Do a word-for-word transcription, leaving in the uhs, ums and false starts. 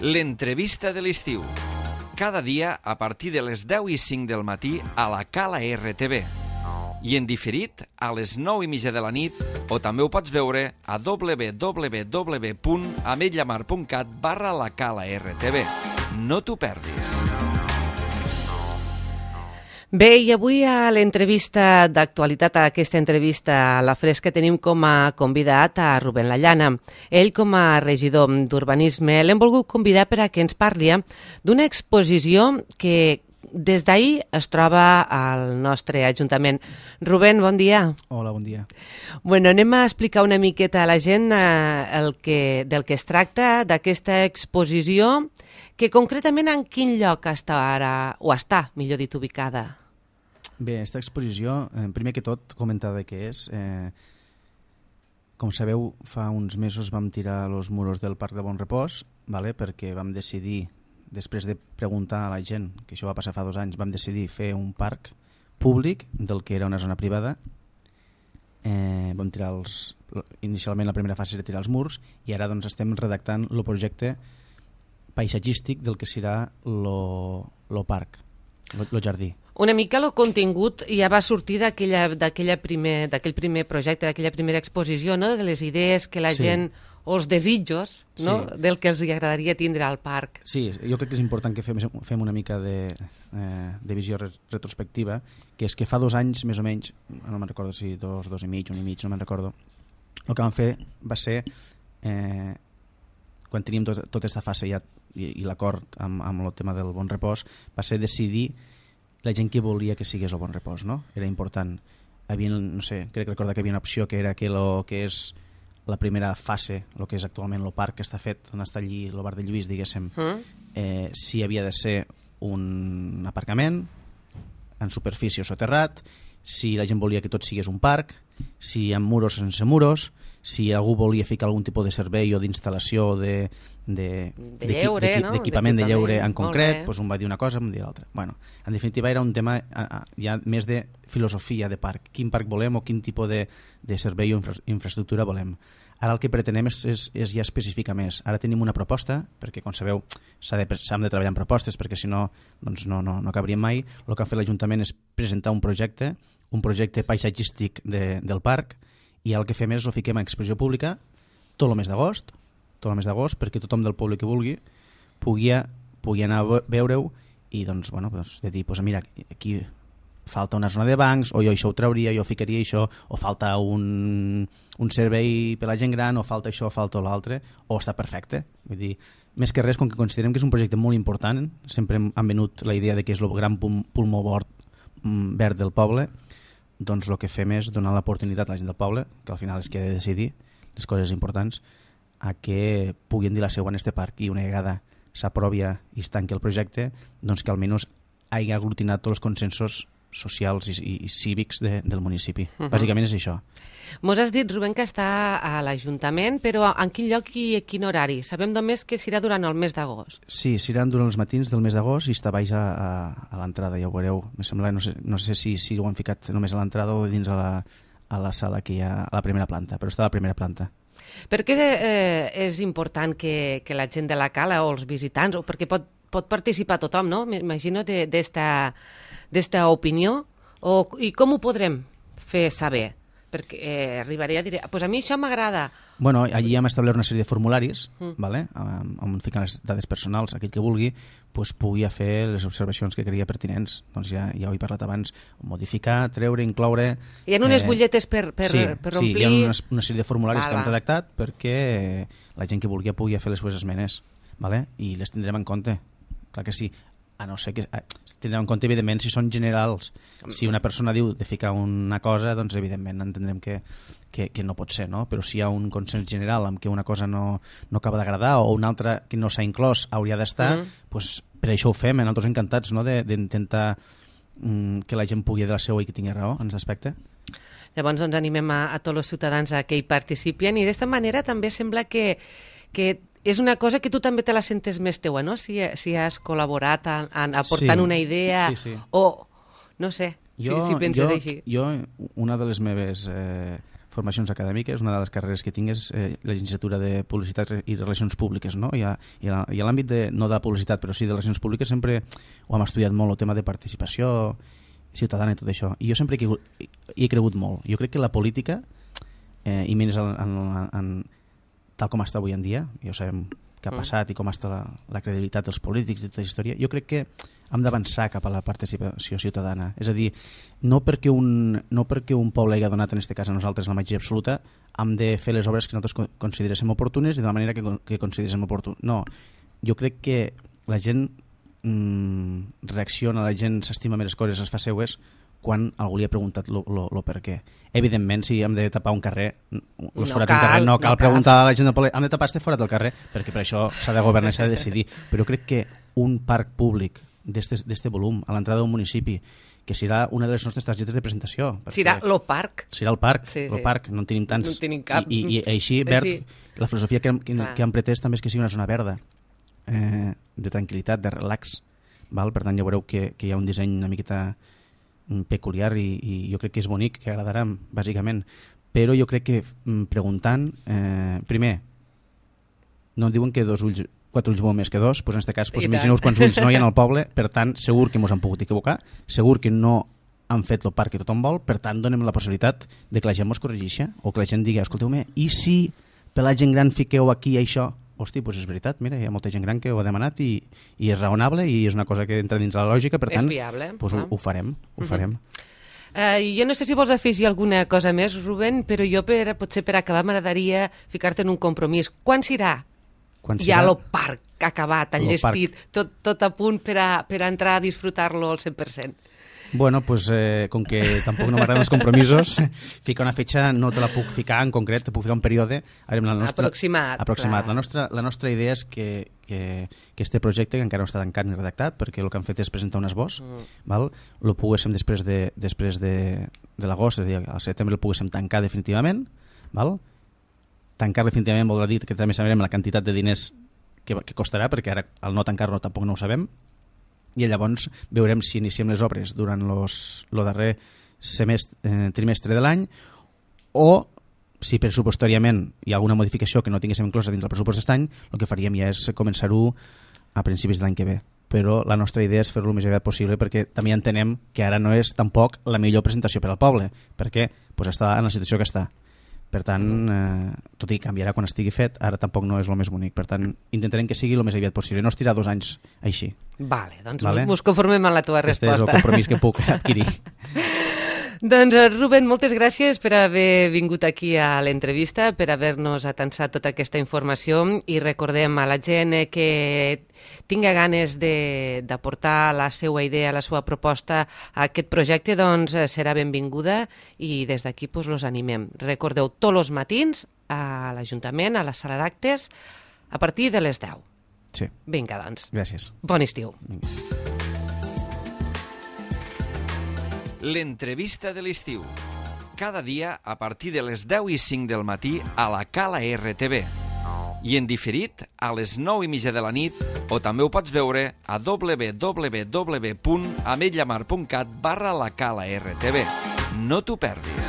L'entrevista de l'estiu. Cada dia a partir de les deu i cinc del matí a la Cala R T V. I en diferit a les nou i mitja de la nit, o també ho pots veure a w w w punt ametlllamar punt cat barra la Cala R T V. No t'ho perdis. Bé, i avui a l'entrevista d'actualitat, a aquesta entrevista a la Fresca, tenim com a convidat a Rubén Lallana. Ell, com a regidor d'Urbanisme, l'hem volgut convidar per a que ens parli d'una exposició que des d'ahir es troba al nostre Ajuntament. Rubén, bon dia. Hola, bon dia. Bueno, anem a explicar una miqueta a la gent eh, el que, del que es tracta, d'aquesta exposició, que concretament en quin lloc està ara, o està, millor dit, ubicada? Bé, aquesta exposició, eh, primer que tot, comentar de què és. Eh, com sabeu, fa uns mesos vam tirar els muros del Parc de Bon Repòs, vale? Perquè vam decidir, després de preguntar a la gent, que això va passar fa dos anys, vam decidir fer un parc públic del que era una zona privada. Eh, vam tirar els, inicialment la primera fase era tirar els murs i ara doncs estem redactant el projecte paisatgístic del que serà el parc, el jardí. Una mica el contingut ja va sortir d'aquell primer, primer projecte, d'aquella primera exposició, no? De les idees que la sí. gent, o els desitjos, no? Sí. Del que els agradaria tindre al parc. Sí, jo crec que és important que fem, fem una mica de, eh, de visió retrospectiva, que és que fa dos anys, més o menys, no me'n recordo si dos, dos i mig, un i mig, no me'n recordo, el que vam fer va ser, eh, quan teníem tot, tota aquesta fase ja, i, i l'acord amb, amb el tema del Bon Repòs, va ser decidir la gent que volia que sigués el Bon Repòs, no? Era important. Havia, no sé, crec recordar que hi havia una opció que era que lo que és la primera fase, el que és actualment el parc que està fet, on està allí el bar de Lluís, diguéssim, mm. eh, si havia de ser un aparcament en superfície o soterrat, si la gent volia que tot sigués un parc, si amb muros o sense muros, si algú volia ficar algun tipus de servei o d'instal·lació de, de, de lleure, de, no? d'equipament de lleure en concret, doncs un va dir una cosa, un va dir l'altra. Bueno, en definitiva era un tema ja més de filosofia de parc. Quin parc volem o quin tipus de, de servei o infra, infraestructura volem. Ara el que pretenem és, és, és ja especificar més. Ara tenim una proposta, perquè com sabeu s'ha de, s'ha de treballar en propostes, perquè si no, doncs no, no, no acabaríem mai. El que ha fet l'Ajuntament és presentar un projecte, un projecte paisatgístic de, del parc, i el que fem és ho fiquem en exposició pública tot el mes d'agost, tot el mes d'agost, perquè tothom del públic que vulgui pugui, pugui anar a veure-ho i doncs, bueno, doncs, de dir, doncs, mira, aquí falta una zona de bancs, o jo això ho trauria, jo ficaria això, o falta un, un servei per la gent gran, o falta això, o falta l'altre, o està perfecte. Vull dir, més que res, com que considerem que és un projecte molt important, sempre han venut la idea de que és el gran pulmó verd del poble, doncs el que fem és donar l'oportunitat a la gent del poble, que al final és que ha de decidir les coses importants, a que puguin dir la seva en este parc i una vegada s'aprovi i es tanqui el projecte, doncs que almenys hagi aglutinat tots els consensos socials i, i, i cívics de, del municipi. Uh-huh. Bàsicament és això. Mos has dit, Rubén, que està a l'Ajuntament, però en quin lloc i a quin horari? Sabem només que serà durant el mes d'agost. Sí, serà durant els matins del mes d'agost i està baix a, a, a l'entrada, ja ho veureu. Me sembla, no sé, no sé si, si ho han ficat només a l'entrada o dins a la, a la sala que hi ha a la primera planta, però està a la primera planta. Per què eh, és important que, que la gent de la cala o els visitants, o perquè pot, pot participar tothom, no? M'imagino d'esta opinió, o, i com ho podrem fer saber? Perquè eh, arribaré a dir, pues a mi això m'agrada. Bueno, allí hem establert una sèrie de formularis, mm. vale? on fiquen les dades personals, aquell que vulgui pues, pugui fer les observacions que creia pertinents. Doncs ja, ja ho he parlat abans, modificar, treure, incloure... Hi ha unes eh, butlletes per, per, sí, per omplir... Sí, hi ha una, una sèrie de formularis val, que hem val. redactat perquè la gent que vulgui pugui fer les seves esmenes, vale? I les tindrem en compte. Clar que sí, a no ser que tindrem en compte, evidentment, si són generals. Si una persona diu de ficar una cosa, doncs evidentment entendrem que, que, que no pot ser, no? Però si hi ha un consens general amb què una cosa no, no acaba d'agradar o una altra que no s'ha inclòs hauria d'estar, mm. doncs per això ho fem, nosaltres encantats, no? d'intentar mm, que la gent pugui dir la seva i que tingui raó en aquest aspecte. Llavors ens animem a, a tots els ciutadans a que hi participin i d'esta manera també sembla que, que és una cosa que tu també te la sentes més teua, no? Si, si has col·laborat en, en aportant sí, una idea sí, sí. o, no sé, jo, si, si penses jo, així. Jo, una de les meves eh, formacions acadèmiques, una de les carreres que tinc és eh, la llicenciatura de Publicitat i Relacions Públiques, no? I a, i a, i a l'àmbit de, no de publicitat, però sí de relacions públiques, sempre ho hem estudiat molt, el tema de participació ciutadana i tot això. I jo sempre hi he, hi he cregut molt. Jo crec que la política, eh, i menys en, en, en, tal com està avui en dia, ja sabem què ha passat i com està la, la credibilitat dels polítics i tota la història, jo crec que hem d'avançar cap a la participació ciutadana. És a dir, no perquè un, no perquè un poble hagi donat, en aquest cas a nosaltres, la majoria absoluta, hem de fer les obres que nosaltres consideréssim oportunes i de la manera que, que consideréssim oportuna. No, jo crec que la gent mmm, reacciona, la gent s'estima més les coses, es fa seues, quan algú li ha preguntat lo, lo, lo per què. Evidentment, si hem de tapar un carrer, els no forats cal, d'un carrer, no cal no preguntar cal. a la gent del poble, hem de tapar este forat del carrer, perquè per això s'ha de governar i s'ha de decidir. Però crec que un parc públic d'este volum, a l'entrada d'un municipi, que serà una de les nostres targetes de presentació. Serà lo parc. Serà el parc, sí, el sí. parc, no en tenim tants. No en tenim cap. I, i, i així, verd, Sí. la filosofia que, que, Clar. que han pretès també és que sigui una zona verda, eh, de tranquil·litat, de relax. Val? Per tant, ja veureu que, que hi ha un disseny una miqueta peculiar i, i jo crec que és bonic, que agradarà, bàsicament. Però jo crec que preguntant, eh, primer, no diuen que dos ulls, quatre ulls molt més que dos, doncs en aquest cas, doncs imagineu quants ulls no hi ha al poble, per tant, segur que ens han pogut equivocar, segur que no han fet el parc que tothom vol, per tant, donem la possibilitat de que la gent mos corregeixi, o que la gent digui, escolteu-me, i si per la gent gran fiqueu aquí això? Hosti, doncs és veritat, mira, hi ha molta gent gran que ho ha demanat i, i és raonable i és una cosa que entra dins la lògica, per tant, és viable, doncs ho, ho farem, ho uh-huh. farem. Uh, jo no sé si vols afegir alguna cosa més, Rubén, però jo per, potser per acabar m'agradaria ficar-te en un compromís. Quan serà? Quan ja serà? el parc acabat, enllestit, tot, tot a punt per a, per a entrar a disfrutar-lo al cent per cent. Bueno, pues, eh, com que tampoc no m'agraden els compromisos, ficar una fetge no te la puc ficar en concret, te puc ficar un període la nostra, aproximat. aproximat. La, nostra, la nostra idea és que, que, que este projecte, que encara no està tancat ni redactat, perquè el que han fet és presentar un esbós, mm. val? Lo poguéssim després de, després de, de l'agost, és a dir, al setembre el poguéssim tancar definitivament, val? Tancar definitivament voldrà dir que també sabrem la quantitat de diners que, que costarà, perquè ara al no tancar-lo tampoc no ho sabem, i llavors veurem si iniciem les obres durant el darrer semestre, eh, trimestre de l'any o si pressupostàriament hi ha alguna modificació que no tinguéssim inclosa dins el pressupost d'aquest any, el que faríem ja és començar-ho a principis de l'any que ve. Però la nostra idea és fer-lo el més aviat possible perquè també entenem que ara no és tampoc la millor presentació per al poble, perquè pues, està en la situació que està. Per tant, eh, tot i canviarà quan estigui fet, ara tampoc no és el més bonic. Per tant, intentarem que sigui el més aviat possible. No estirar dos anys així. Vale, doncs vale? Ens conformem amb la teva resposta. Este és el compromís que puc adquirir. Doncs, Rubén, moltes gràcies per haver vingut aquí a l'entrevista, per haver-nos atansat tota aquesta informació i recordem a la gent que tinga ganes d'aportar la seva idea, la seva proposta a aquest projecte, doncs serà benvinguda i des d'aquí pues, los animem. Recordeu, tots els matins a l'Ajuntament, a la sala d'actes, a partir de les deu. Sí. Vinga, doncs. Gràcies. Bon estiu. Vinga. L'entrevista de l'estiu. Cada dia a partir de les deu i cinc del matí a la Cala R T V. I en diferit a les nou i mitja de la nit o també ho pots veure a w w w punt ametlla mar punt cat barra la Cala R T V. No t'ho perdis.